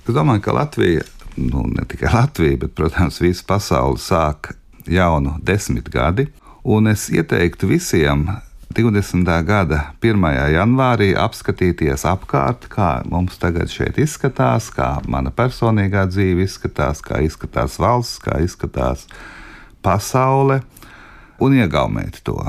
Es domāju, ka Latvija, ne tikai Latvija, bet, protams, visa pasaule sāk jaunu 10 gadi, un es ieteiktu visiem 20. gada 1. janvārī apskatīties apkārt, kā mums tagad šeit izskatās, kā mana personīgā dzīve izskatās, kā izskatās valsts, kā izskatās pasaule, un iegaumēt to.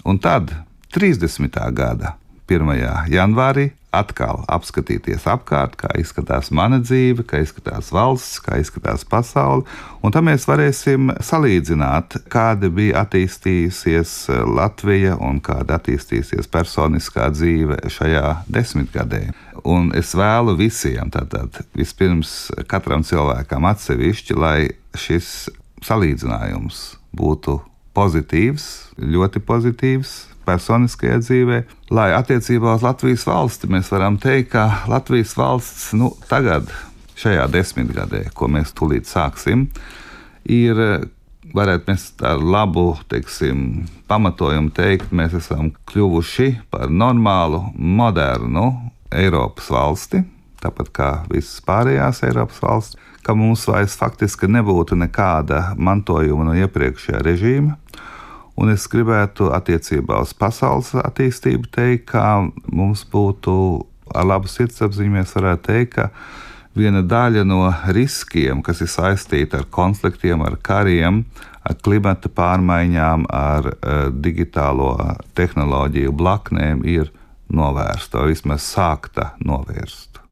Un tad 30. gada 1. janvārī atkal apskatīties apkārt, kā izskatās mana dzīve, kā izskatās valsts, kā izskatās pasaule, un tad mēs varēsim salīdzināt, kāda bija attīstījusies Latvija un kāda attīstīsies personiskā dzīve šajā 10 gadē. Un es vēlu visiem, tātad vispirms katram cilvēkam atsevišķi, lai šis salīdzinājums būtu pozitīvs, ļoti pozitīvs personiskajā dzīvē, lai attiecībā uz Latvijas valsti mēs varam teikt, ka Latvijas valsts tagad, šajā 10 gadē, ko mēs tūlīt sāksim, ir, varētu mēs ar labu, pamatojumu teikt, mēs esam kļuvuši par normālu, modernu Eiropas valsti, tāpat kā visas pārējās Eiropas valsts, ka mums vairs faktiski nebūtu nekāda mantojuma no iepriekšējā režīma. Un es gribētu attiecībā uz pasaules attīstību teikt, ka mums būtu ar labu sirdsapziņu, mēs varētu teikt, ka viena daļa no riskiem, kas ir saistīta ar konfliktiem, ar kariem, ar klimata pārmaiņām, ar digitālo tehnoloģiju blaknēm, ir novērsta, vai vismaz sākta novērst.